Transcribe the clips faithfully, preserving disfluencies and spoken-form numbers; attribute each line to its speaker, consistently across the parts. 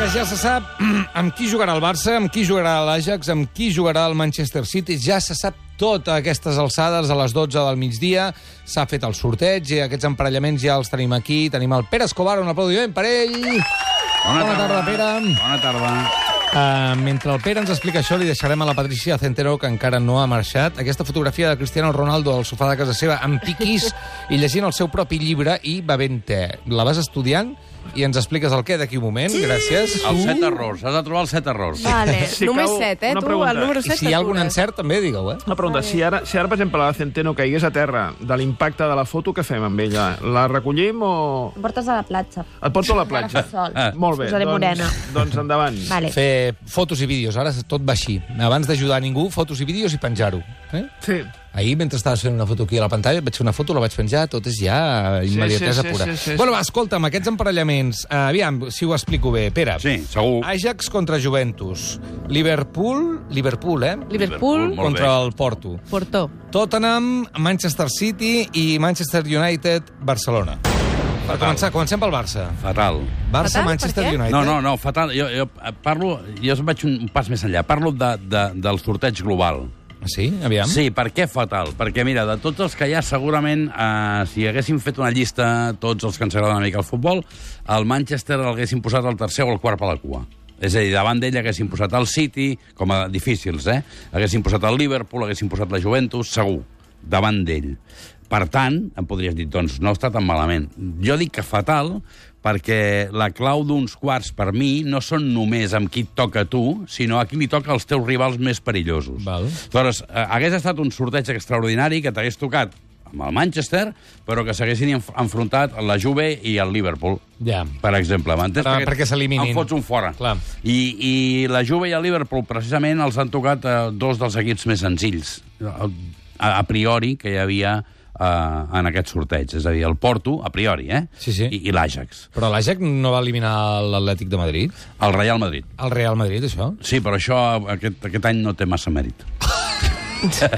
Speaker 1: que ja se sap amb qui jugarà el Barça, amb qui jugarà l'Ajax, amb qui jugarà el Manchester City. Ja se sap tot a aquestes alçades, a les dotze del migdia. S'ha fet el sorteig i aquests emparellaments ja els tenim aquí. Tenim el Pere Escobar, un aplaudiment per ell.
Speaker 2: Bona,
Speaker 1: Bona tarda, Pere.
Speaker 2: Bona tarda.
Speaker 1: Uh, mentre el Pere ens explica això, li deixarem a la Patricia Centeno, que encara no ha marxat, aquesta fotografia de Cristiano Ronaldo al sofà de casa seva amb piquís i llegint el seu propi llibre i bevent te. La vas estudiant i ens expliques el què d'aquí un moment. Gràcies.
Speaker 2: Els set errors. Has de trobar els set errors.
Speaker 3: Vale,
Speaker 4: Si
Speaker 3: només
Speaker 4: cau
Speaker 3: set, eh?
Speaker 4: una
Speaker 3: Tu,
Speaker 4: pregunta.
Speaker 3: el número
Speaker 1: I
Speaker 3: set...
Speaker 1: si hi ha algun encert, també digueu, eh?
Speaker 4: Una pregunta, si ara, si ara, per exemple, la Centeno caigués a terra de l'impacte de la foto, què fem amb ella? La recollim o...
Speaker 3: Em portes a la platja.
Speaker 4: Et porto a la platja?
Speaker 3: Sol.
Speaker 2: Ah.
Speaker 4: Molt bé,
Speaker 3: Posaré morena.
Speaker 4: doncs, doncs endavant.
Speaker 3: Vale.
Speaker 1: Fer fotos i vídeos, ara tot va així. Abans d'ajudar a ningú, fotos i vídeos i penjar-ho. Eh?
Speaker 4: Sí.
Speaker 1: Ahir, mentre estaves fent una foto aquí a la pantalla, vaig fer una foto, la vaig penjar, tot és ja immediatesa
Speaker 4: sí, sí,
Speaker 1: pura.
Speaker 4: sí, sí, sí.
Speaker 1: Bueno, va, escolta'm, aquests emparellaments, uh, aviam, si ho explico bé. Pere,
Speaker 2: Sí, segur.
Speaker 1: Ajax contra Juventus, Liverpool, Liverpool, eh?
Speaker 3: Liverpool,
Speaker 2: Molt
Speaker 1: contra
Speaker 2: bé.
Speaker 1: el Porto.
Speaker 3: Porto.
Speaker 1: Tottenham, Manchester City i Manchester United, Barcelona. Per començar, comencem pel Barça.
Speaker 2: Fatal.
Speaker 1: Barça,
Speaker 3: Fatal,
Speaker 1: Manchester
Speaker 3: per què?
Speaker 1: United.
Speaker 2: No, no, no, fatal. Jo, jo parlo... Jo vaig un pas més enllà. Parlo de, de, del sorteig global.
Speaker 1: Sí? Aviam.
Speaker 2: Sí, per què fatal? Perquè, mira, de tots els que hi ha, segurament, eh, si haguéssim fet una llista, tots els que ens agrada una mica el futbol, el Manchester l'haguéssim posat al tercer o al quart per la cua. És a dir, davant d'ell haguéssim posat el City, com a difícils, eh? Haguéssim posat el Liverpool, haguéssim posat la Juventus, segur, davant d'ell. Per tant, em podries dir, doncs, no està tan malament. Jo dic que fatal perquè la clau d'uns quarts, per mi, no són només amb qui et toca a tu, sinó a qui li toca als teus rivals més perillosos.
Speaker 1: Val.
Speaker 2: Llavors, eh, hagués estat un sorteig extraordinari que t'hagués tocat amb el Manchester, però que s'haguessin enf enfrontat la Juve i el Liverpool,
Speaker 1: Ja.
Speaker 2: per exemple. M'entens?
Speaker 1: Per- perquè s'eliminin.
Speaker 2: En fots un fora.
Speaker 1: Clar.
Speaker 2: I, I la Juve i el Liverpool, precisament, els han tocat eh, dos dels equips més senzills, a, a priori, que hi havia Uh, en aquest sorteig. És a dir, el Porto, a priori, eh?
Speaker 1: Sí, sí.
Speaker 2: I, i l'Ajax.
Speaker 1: Però l'Ajax no va eliminar l'Atlètic de Madrid?
Speaker 2: El Real Madrid.
Speaker 1: El Real Madrid, això?
Speaker 2: Sí, però això aquest, aquest any no té massa mèrit.
Speaker 1: No sé,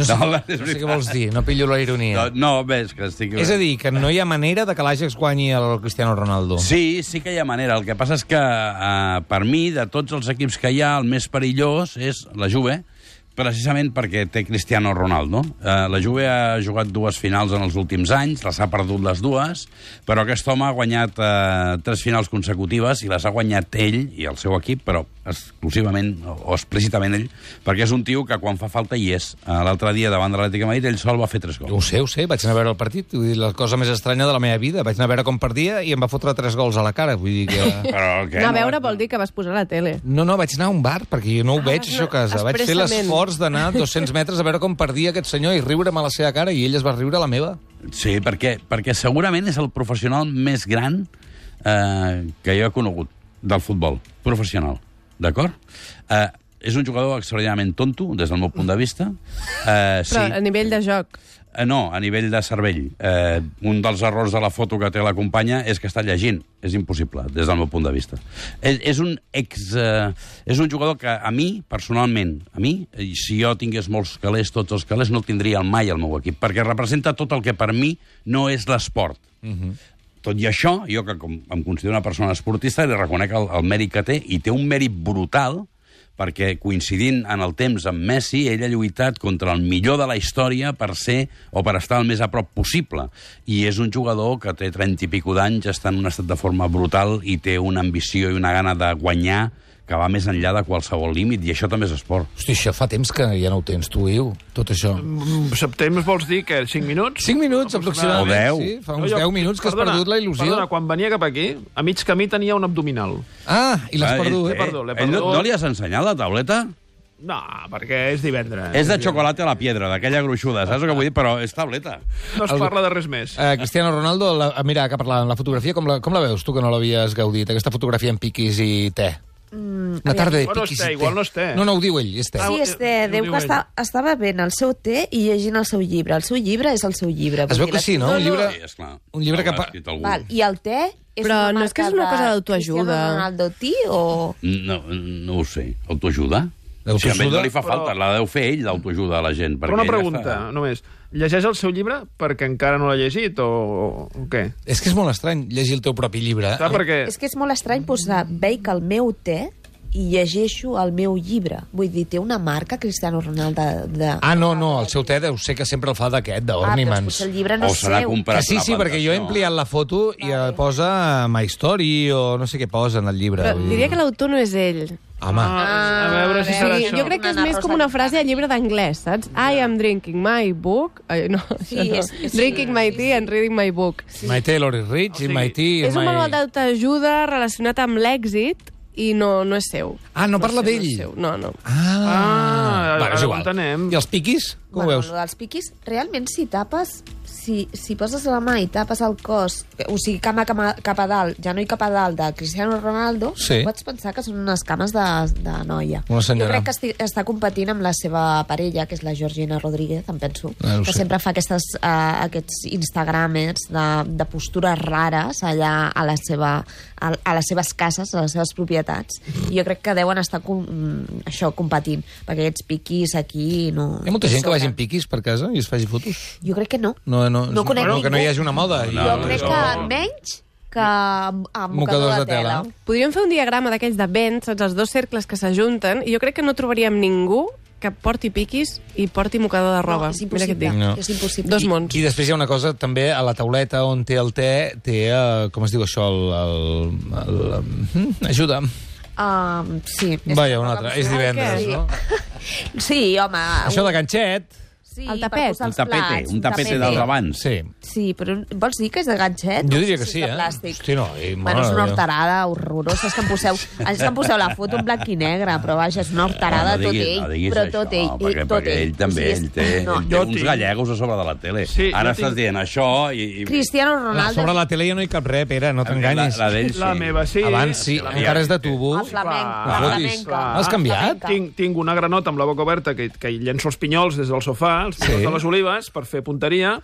Speaker 2: No,
Speaker 1: no,
Speaker 2: és
Speaker 1: sé què vols dir, no pillo la ironia.
Speaker 2: No, no ves que estic...
Speaker 1: És a dir, que no hi ha manera de que l'Ajax guanyi el Cristiano Ronaldo.
Speaker 2: Sí, sí que hi ha manera. El que passa és que, uh, per mi, de tots els equips que hi ha, el més perillós és la Juve, precisament perquè té Cristiano Ronaldo. Uh, la Juve ha jugat dues finals en els últims anys, les ha perdut les dues, però aquest home ha guanyat uh, tres finals consecutives i les ha guanyat ell i el seu equip, però exclusivament o explícitament ell, perquè és un tio que quan fa falta hi és. Uh, L'altre dia, davant de l'Atlètic de Madrid, ell sol va fer tres gols.
Speaker 1: Ho sé, ho sé, vaig anar a veure el partit, vull dir, la cosa més estranya de la meva vida. Vaig anar a veure com perdia i em va fotre tres gols a la cara, vull dir que...
Speaker 2: Però què?
Speaker 3: Anar a
Speaker 2: No,
Speaker 3: veure vol dir que vas posar a la tele.
Speaker 1: No, no, vaig anar a un bar, perquè jo no ho
Speaker 3: Ah,
Speaker 1: veig,
Speaker 3: vas
Speaker 1: això a
Speaker 3: anar
Speaker 1: casa. Vaig fer
Speaker 3: expressament.
Speaker 1: l'esforç d'anar dos-cents metres a veure com perdia aquest senyor i riure'm a la seva cara, i ell es va riure a la meva.
Speaker 2: Sí, perquè, perquè segurament és el professional més gran eh, que jo he conegut del futbol, professional, d'acord? Eh, és un jugador extraordinàriament tonto, des del meu punt de vista. Eh, sí.
Speaker 3: Però a nivell de joc.
Speaker 2: Eh, no, a nivell de cervell. Eh, un dels errors de la foto que té la companya és que està llegint. És impossible, des del meu punt de vista. És, és un ex... Eh, és un jugador que a mi, personalment, a mi, i si jo tingués molts calés, tots els calés, no el tindria mai al meu equip, perquè representa tot el que per mi no és l'esport.
Speaker 1: Uh-huh.
Speaker 2: Tot i això, jo que com em considero una persona esportista, li reconec el, el mèrit que té, i té un mèrit brutal, perquè coincidint en el temps amb Messi, ell ha lluitat contra el millor de la història per ser o per estar el més a prop possible. I és un jugador que té trenta i pico d'anys, està en un estat de forma brutal i té una ambició i una gana de guanyar que va més enllà de qualsevol límit, i això també és esport.
Speaker 1: Hosti, això fa temps que ja no ho tens, tu, Iu, tot això.
Speaker 4: Mm, Temps vols dir que cinc minuts?
Speaker 1: Cinc minuts, aproximadament.
Speaker 2: O deu.
Speaker 1: Sí, fa
Speaker 4: No,
Speaker 1: uns
Speaker 4: jo-
Speaker 1: deu minuts que has
Speaker 4: perdona,
Speaker 1: perdut la il·lusió.
Speaker 4: Perdona, quan venia cap aquí, a mig camí tenia un abdominal.
Speaker 1: Ah, i l'has
Speaker 2: Eh,
Speaker 1: perdut.
Speaker 2: eh,
Speaker 4: perdut, l'he
Speaker 2: ell no,
Speaker 4: perdut.
Speaker 2: no li has ensenyat la tauleta?
Speaker 4: No, perquè és divendres.
Speaker 2: És de xocolata a la piedra, d'aquella gruixuda, saps el que vull dir? Però és tauleta.
Speaker 4: No es
Speaker 1: El-
Speaker 4: parla de res més.
Speaker 1: Uh, Cristiano Ronaldo, la, mira, que parlàvem, la fotografia, com la, com la veus, tu que no l'havies gaudit, aquesta fotografia amb piquis i te?
Speaker 3: Mm,
Speaker 1: Una tarda de
Speaker 4: Igual no és
Speaker 1: piquis
Speaker 4: te,
Speaker 1: i te.
Speaker 4: igual no és te.
Speaker 1: No, no, ho diu ell, és te.
Speaker 4: Ah,
Speaker 5: Sí, este,
Speaker 4: ho
Speaker 5: diu
Speaker 4: diu
Speaker 5: que
Speaker 4: ell.
Speaker 5: està, estava bevent el seu té i llegint el seu llibre. El seu llibre és el seu llibre.
Speaker 1: Es veu
Speaker 5: vull
Speaker 1: que
Speaker 5: dir,
Speaker 1: sí, no? Un llibre,
Speaker 2: Sí, esclar.
Speaker 1: un llibre que...
Speaker 2: L'ha
Speaker 1: Pa...
Speaker 2: escrit algú.
Speaker 5: Val, i el té és
Speaker 3: Però
Speaker 5: una
Speaker 3: no és que és
Speaker 5: marca
Speaker 3: una cosa
Speaker 5: de
Speaker 3: d'autoajuda.
Speaker 5: Cristiano Ronaldo Tea o...
Speaker 2: No, no ho sé. Autoajuda? O sigui, a ell no
Speaker 1: Autoajuda?
Speaker 2: li fa falta,
Speaker 4: Però-
Speaker 2: la deu fer ell, d'autoajuda a la gent.
Speaker 4: Però una
Speaker 2: perquè ell
Speaker 4: pregunta,
Speaker 2: està-
Speaker 4: només. Llegeix el seu llibre perquè encara no l'ha llegit o, o, o què?
Speaker 1: És que és molt estrany llegir el teu propi llibre.
Speaker 4: Clar, perquè...
Speaker 5: És que és molt estrany posar veig el meu té i llegeixo el meu llibre. Vull dir, té una marca Cristiano Ronaldo de...
Speaker 1: Ah, no, no, el seu té deu ser que sempre el fa d'aquest,
Speaker 5: Ah, però
Speaker 1: d'Ornaments.
Speaker 5: potser el llibre no
Speaker 2: O
Speaker 5: és
Speaker 2: se n'ha
Speaker 5: seu.
Speaker 2: comprat
Speaker 1: Que sí,
Speaker 2: una
Speaker 1: sí, perquè jo he
Speaker 2: plantació.
Speaker 1: ampliat la foto i eh, posa My Story o no sé què posa en el llibre.
Speaker 3: Però
Speaker 1: vull dir.
Speaker 3: diria que l'autor no és ell.
Speaker 1: Home,
Speaker 4: Ah, a veure si
Speaker 5: Ah,
Speaker 4: serà
Speaker 3: Sí,
Speaker 4: això.
Speaker 3: jo crec que és
Speaker 5: Una
Speaker 3: més com una
Speaker 5: Rosa
Speaker 3: frase de llibre d'anglès, saps? I am drinking my book... Ai, no,
Speaker 5: Sí,
Speaker 3: això no.
Speaker 5: és- és-
Speaker 3: Drinking my tea and reading my book.
Speaker 1: My Taylor is rich
Speaker 4: O sigui,
Speaker 1: i My Tea...
Speaker 3: És un
Speaker 1: my...
Speaker 3: manual d'autoajuda relacionat amb l'èxit i no, no és seu.
Speaker 1: Ah, no parla
Speaker 3: és seu,
Speaker 1: d'ell?
Speaker 3: No, és seu. no, no.
Speaker 1: Ah,
Speaker 4: Ah,
Speaker 1: bueno, és
Speaker 4: ara ho
Speaker 1: igual.
Speaker 4: entenem.
Speaker 1: I els piquis? Com
Speaker 5: Bueno,
Speaker 1: ho veus?
Speaker 5: lo dels piquis, realment, si tapes... Si, si poses la mà i tapes el cos, o sigui, cama, cama cap a dalt, ja no hi cap a dalt, de Cristiano Ronaldo,
Speaker 1: Sí.
Speaker 5: pots pensar que són unes cames de, de noia.
Speaker 1: Una senyora.
Speaker 5: Jo crec que esti, està competint amb la seva parella, que és la Georgina Rodríguez, em penso,
Speaker 1: Ah, no
Speaker 5: que
Speaker 1: sé.
Speaker 5: sempre fa aquestes, uh, aquests instagramers de, de postures rares allà a, la seva, a, a les seves cases, a les seves propietats. I jo crec que deuen estar com, mm, això competint, perquè aquests piquis aquí no...
Speaker 1: Hi ha molta gent que
Speaker 5: sobren.
Speaker 1: vagi amb piquis per casa i es faci fotos?
Speaker 5: Jo crec que no.
Speaker 1: No, no,
Speaker 5: No conec
Speaker 1: no, que no hi
Speaker 5: ningú.
Speaker 1: hagi una moda. I...
Speaker 2: No,
Speaker 5: Jo
Speaker 2: no,
Speaker 5: crec
Speaker 2: no.
Speaker 5: que menys que amb, amb
Speaker 1: Mocadors
Speaker 5: mocador de
Speaker 1: de tela.
Speaker 5: tela.
Speaker 3: Podríem fer un diagrama d'aquells de vents, saps? Els dos cercles que s'ajunten, i jo crec que no trobaríem ningú que porti piquis i porti mocador de roba.
Speaker 5: No, és
Speaker 3: Mira què et
Speaker 5: impossible.
Speaker 3: dic.
Speaker 1: No.
Speaker 5: És impossible.
Speaker 3: Dos mons.
Speaker 1: I després hi ha una cosa, també, a la tauleta on té el té, té, uh, com es diu això, el... el, el, el ajuda.
Speaker 5: Um, sí. és
Speaker 1: Vaja,
Speaker 5: que
Speaker 1: una
Speaker 5: toca
Speaker 1: altra. És
Speaker 5: posar-
Speaker 1: divendres,
Speaker 5: Sí.
Speaker 1: no?
Speaker 5: Sí, home.
Speaker 1: Això de ganxet,
Speaker 5: Sí,
Speaker 3: El
Speaker 5: per
Speaker 3: tapet.
Speaker 5: posar
Speaker 2: Un
Speaker 5: els
Speaker 2: tapete,
Speaker 5: plats,
Speaker 2: un tapete dels abans.
Speaker 1: sí.
Speaker 5: Sí, però vols dir que és de ganxet?
Speaker 1: Jo
Speaker 5: No
Speaker 1: diria
Speaker 5: sé
Speaker 1: que
Speaker 5: si
Speaker 1: sí,
Speaker 5: és de
Speaker 1: eh?
Speaker 5: plàstic.
Speaker 1: Hosti, no, eh,
Speaker 5: Bueno,
Speaker 1: mare
Speaker 5: és una
Speaker 1: de Déu.
Speaker 5: horterada horrorosa. És que em poseu, és que em poseu la foto en blanc i negre, però vaja, és una horterada
Speaker 2: no
Speaker 5: tot
Speaker 2: diguis,
Speaker 5: ell.
Speaker 2: no diguis
Speaker 5: però
Speaker 2: això,
Speaker 5: tot ell.
Speaker 2: perquè,
Speaker 5: tot
Speaker 2: perquè ell també,
Speaker 5: O sigui,
Speaker 2: ell
Speaker 5: és-
Speaker 2: té,
Speaker 5: no.
Speaker 2: ell té
Speaker 4: Jo
Speaker 2: uns
Speaker 4: tinc-
Speaker 2: gallegos a sobre de la tele.
Speaker 4: Sí,
Speaker 2: Ara
Speaker 4: jo tinc-
Speaker 2: estàs dient això i... i...
Speaker 5: Cristiano
Speaker 1: La,
Speaker 5: Ronaldo...
Speaker 1: sobre la tele ja no hi cap res, Pere, no t'enganyis.
Speaker 2: La, la d'ell sí.
Speaker 4: La meva sí.
Speaker 1: Abans sí,
Speaker 4: La
Speaker 1: encara és de tubo.
Speaker 5: El flamenc.
Speaker 4: Clar.
Speaker 5: La
Speaker 1: Fotis.
Speaker 5: flamenca.
Speaker 1: Has canviat?
Speaker 4: Tinc, tinc una granota amb la boca oberta que, que llenço els pinyols des del sofà, els pinyols
Speaker 1: Sí.
Speaker 4: de les olives, per fer punteria.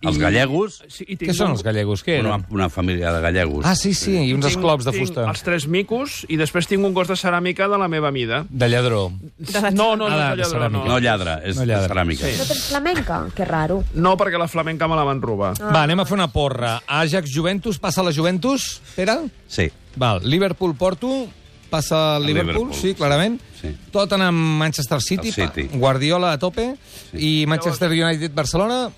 Speaker 2: Els gallegos,
Speaker 4: Sí, i tinc
Speaker 1: Què són
Speaker 4: un-
Speaker 1: els gallegos? Què
Speaker 2: una,
Speaker 1: eren?
Speaker 2: una família de gallegos.
Speaker 1: Ah, sí, sí, i uns
Speaker 4: tinc-
Speaker 1: esclops de
Speaker 4: tinc
Speaker 1: fusta.
Speaker 4: els tres micos i després tinc un gos de ceràmica de la meva mida.
Speaker 1: De lladró.
Speaker 4: No, no, no,
Speaker 1: Ah,
Speaker 4: és
Speaker 1: de
Speaker 4: de lladró,
Speaker 1: ceràmica.
Speaker 2: No lladra, és
Speaker 1: No lladra.
Speaker 2: ceràmica.
Speaker 4: Sí.
Speaker 5: No tens flamenca? Que raro.
Speaker 4: No, perquè la flamenca me la van robar.
Speaker 5: Ah.
Speaker 1: Va, anem a fer una porra. Ajax Juventus, passa la Juventus, Pere?
Speaker 2: Sí.
Speaker 1: Val, Liverpool-Porto, passa el Liverpool,
Speaker 2: Liverpool.
Speaker 1: sí, clarament.
Speaker 2: Sí.
Speaker 1: Tottenham Manchester City,
Speaker 2: El City.
Speaker 1: Guardiola a tope, i Manchester United-Barcelona.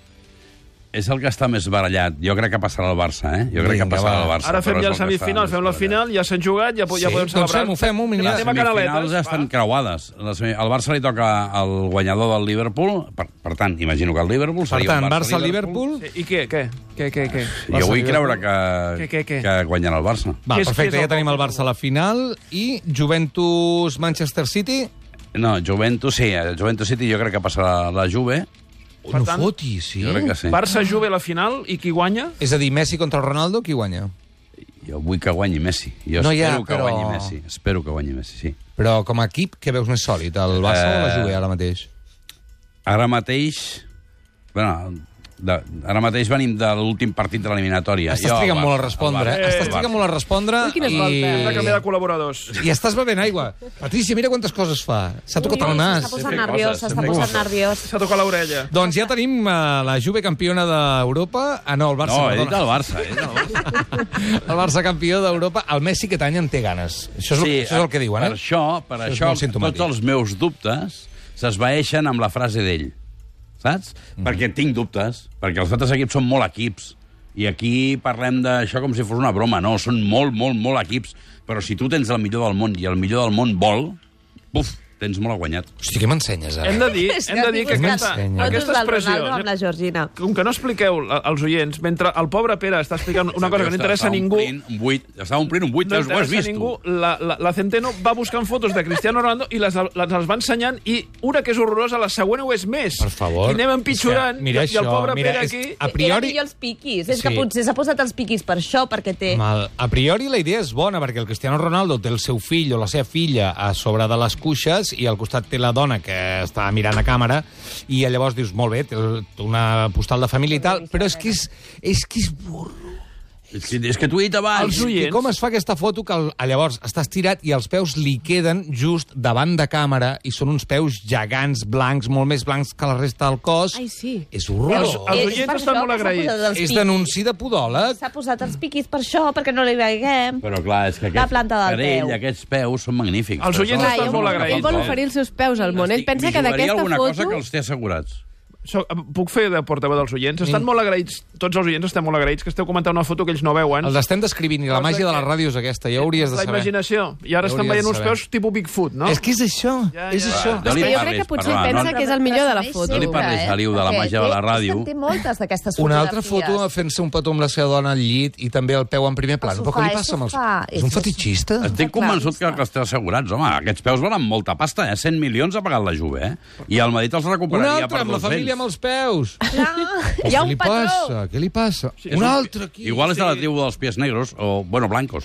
Speaker 2: És el que està més barallat. Jo crec que passarà el Barça, eh? Jo crec
Speaker 1: Vinga,
Speaker 2: que passarà
Speaker 1: va.
Speaker 2: el Barça.
Speaker 4: Ara fem
Speaker 2: però és
Speaker 4: ja el
Speaker 2: el que està
Speaker 4: semifinal,
Speaker 2: més
Speaker 4: fem la
Speaker 2: barallat.
Speaker 4: final, ja s'han jugat, ja, po- ja
Speaker 1: Sí,
Speaker 4: podem
Speaker 1: doncs
Speaker 4: celebrar.
Speaker 1: fem-ho, fem-ho, mira.
Speaker 4: La
Speaker 2: Les
Speaker 4: tema
Speaker 2: semifinals
Speaker 4: canaletes,
Speaker 2: ja estan
Speaker 4: va.
Speaker 2: creuades. La semi- Al Barça li toca el guanyador del Liverpool, per, per tant, imagino que el Liverpool
Speaker 1: Per
Speaker 2: seria
Speaker 1: tant,
Speaker 2: un
Speaker 1: Barça-Liverpool.
Speaker 4: Sí, I què, què? Què, què, què?
Speaker 2: Jo vull
Speaker 1: Barça-Liverpool.
Speaker 2: creure que,
Speaker 4: Què, què, què?
Speaker 2: que guanyarà el Barça.
Speaker 1: Va,
Speaker 4: Què és- què
Speaker 1: perfecte,
Speaker 4: és
Speaker 1: ja
Speaker 4: el
Speaker 1: tenim el
Speaker 4: Barça?
Speaker 1: Barça a la final, i Juventus-Manchester City.
Speaker 2: No, Juventus, sí, el Juventus City jo crec que passarà la Juve.
Speaker 1: No
Speaker 4: tant,
Speaker 1: fotis, sí?
Speaker 2: Jo crec que sí.
Speaker 4: Barça-Juve a la final i qui guanya?
Speaker 1: És a dir, Messi contra Ronaldo, qui guanya?
Speaker 2: Jo vull que guanyi Messi. Jo
Speaker 1: No hi
Speaker 2: espero
Speaker 1: ha,
Speaker 2: que
Speaker 1: però-
Speaker 2: guanyi Messi. Espero que guanyi Messi, sí.
Speaker 1: Però com a equip, què veus més sòlid, el Barça o la
Speaker 2: Eh,
Speaker 1: Juve ara mateix?
Speaker 2: Ara mateix... Bueno, de, ara mateix venim de l'últim partit de l'eliminatòria.
Speaker 1: Estàs
Speaker 2: Jo,
Speaker 1: trigant
Speaker 2: el
Speaker 1: molt a
Speaker 2: Barça,
Speaker 1: respondre,
Speaker 2: el
Speaker 1: eh?
Speaker 2: Barça,
Speaker 1: Estàs
Speaker 2: el
Speaker 1: trigant
Speaker 2: Barça.
Speaker 1: molt a respondre
Speaker 3: Ui, quines
Speaker 1: i...
Speaker 3: voltes.
Speaker 4: Hem de canviar de col·laboradors.
Speaker 1: I estàs bevent aigua. Patricia, mira quantes coses fa. S'ha tocat el nas.
Speaker 5: S'està posant
Speaker 2: fer
Speaker 5: nerviós,
Speaker 2: coses,
Speaker 5: s'està
Speaker 2: fer
Speaker 5: posant
Speaker 2: coses.
Speaker 5: nerviós.
Speaker 4: S'ha tocat l'orella.
Speaker 1: Doncs ja tenim uh, la Juve campiona d'Europa. Ah, no, el Barça.
Speaker 2: No, he dit
Speaker 1: perdona.
Speaker 2: el Barça. He dit el Barça.
Speaker 1: El Barça campió d'Europa. El Messi aquest any en té ganes. Això és, el, això és el que diuen,
Speaker 2: Per
Speaker 1: eh?
Speaker 2: això, per
Speaker 1: Això és
Speaker 2: això,
Speaker 1: molt simptomàtic.
Speaker 2: tots els meus dubtes s'esvaeixen amb la frase d'ell. Saps?
Speaker 1: Mhm.
Speaker 2: Perquè tinc dubtes, perquè els altres equips són molt equips. I aquí parlem d'això com si fos una broma. No, són molt, molt, molt equips. Però si tu tens el millor del món i el millor del món vol, buf, tens molt a guanyat.
Speaker 1: Hosti, què m'ensenyes, ara?
Speaker 4: Hem de dir,
Speaker 5: És
Speaker 4: hem de dir que
Speaker 5: estic
Speaker 4: aquesta,
Speaker 5: buscant
Speaker 1: M'ensenya.
Speaker 4: aquesta
Speaker 5: fotos del
Speaker 4: expressió...
Speaker 5: Ronaldo amb la Georgina.
Speaker 4: Com que no expliqueu a- als oients, mentre el pobre Pere està explicant una cosa que no interessa a ningú,
Speaker 2: Un buit, estava omplint un buit,
Speaker 4: no
Speaker 2: ho has
Speaker 4: interessa a
Speaker 2: vist,
Speaker 4: ningú,
Speaker 2: tu.
Speaker 4: la, la, la Centeno va buscant fotos de Cristiano Ronaldo i les, les, les va ensenyant, i una que és horrorosa, la següent ho és més.
Speaker 1: Per favor.
Speaker 4: I anem empitjorant,
Speaker 1: És que, mira
Speaker 4: i, i el
Speaker 1: això,
Speaker 4: pobre
Speaker 1: mira,
Speaker 4: Pere
Speaker 1: és-
Speaker 4: aquí...
Speaker 1: a priori-
Speaker 5: Era millor els piquis. És
Speaker 1: Sí.
Speaker 5: que potser s'ha posat els piquis per això, perquè té...
Speaker 1: Mal. A priori la idea és bona, perquè el Cristiano Ronaldo té el seu fill o la seva filla a sobre de les cuixes i al costat té la dona que està mirant a càmera i llavors dius, molt bé, té una postal de família i tal, però és que és, és, que és burro.
Speaker 2: És que, és que t'ho he dit abans.
Speaker 4: Els
Speaker 1: I
Speaker 4: oients...
Speaker 1: com es fa aquesta foto que el, llavors està estirat i els peus li queden just davant de càmera i són uns peus gegants, blancs, molt més blancs que la resta del cos?
Speaker 3: Ai, sí.
Speaker 1: És horrorós.
Speaker 4: Els- els oients
Speaker 5: És per
Speaker 4: estan
Speaker 5: això
Speaker 4: molt
Speaker 5: que s'ha
Speaker 4: agraïts.
Speaker 5: posat els
Speaker 1: És
Speaker 5: piquis.
Speaker 1: denunci de podòleg.
Speaker 5: S'ha posat els piquis per això, perquè no li veiem.
Speaker 2: Però clar, és que
Speaker 5: La
Speaker 2: aquest,
Speaker 5: planta del
Speaker 2: per ell
Speaker 5: peu.
Speaker 2: aquests peus són magnífics.
Speaker 4: Els oients
Speaker 2: Però
Speaker 4: estan
Speaker 2: són-
Speaker 4: molt
Speaker 3: ell
Speaker 4: agraïts,
Speaker 3: vol
Speaker 4: eh?
Speaker 3: oferir els seus peus al món. Ell pensa
Speaker 2: M'hi
Speaker 3: que
Speaker 2: jugaria
Speaker 3: d'aquesta
Speaker 2: alguna cosa
Speaker 3: foto...
Speaker 2: que els té assegurats.
Speaker 4: So, puc fer de portaveu dels oients? Estan molt agraïts, tots els oients estem molt agraïts que esteu comentant una foto que ells no veuen.
Speaker 1: Els estem descrivint i la
Speaker 4: Cosa
Speaker 1: màgia de
Speaker 4: que-
Speaker 1: la ràdio és aquesta, ja ho hauries de
Speaker 4: La
Speaker 1: saber.
Speaker 4: imaginació. I ara
Speaker 1: Ja
Speaker 4: estan
Speaker 1: hauries
Speaker 4: veient
Speaker 1: de
Speaker 4: uns
Speaker 1: saber.
Speaker 4: peus tipus Bigfoot, no?
Speaker 1: És que és això,
Speaker 4: Ja,
Speaker 1: és
Speaker 4: ja.
Speaker 1: això.
Speaker 2: No li
Speaker 3: És que jo
Speaker 2: parlis,
Speaker 3: crec que potser
Speaker 2: perdona,
Speaker 3: ell pensa
Speaker 2: no-
Speaker 3: que és el millor de la
Speaker 5: Però
Speaker 3: foto.
Speaker 2: No li parlis, Aliu, de la
Speaker 5: Perquè
Speaker 2: màgia de la
Speaker 5: té-
Speaker 2: ràdio.
Speaker 5: és que en té moltes d'aquestes
Speaker 1: Una
Speaker 5: fotografies.
Speaker 1: altra foto fent-se un petó amb la seva dona al llit i també el peu en primer pla.
Speaker 5: El
Speaker 1: Però què li
Speaker 5: sofà,
Speaker 1: passa amb els...
Speaker 5: sofà.
Speaker 1: És un
Speaker 5: És-
Speaker 1: fetichista?
Speaker 2: Estic convençut que, que els té assegurats, home. Aquests peus valen molta pasta, eh? cent milions ha pagat la Juve, eh? I el Madrid els
Speaker 1: Un
Speaker 2: recuperaria
Speaker 1: altre,
Speaker 2: per
Speaker 1: amb la
Speaker 2: dos-cents.
Speaker 1: família amb els peus.
Speaker 5: Clar, hi
Speaker 1: Què
Speaker 5: ha un
Speaker 1: li
Speaker 5: patró.
Speaker 1: passa? Què li passa?
Speaker 2: És
Speaker 1: Un altre aquí.
Speaker 2: Igual és de la tribu dels pies negros, o, bueno, blancos.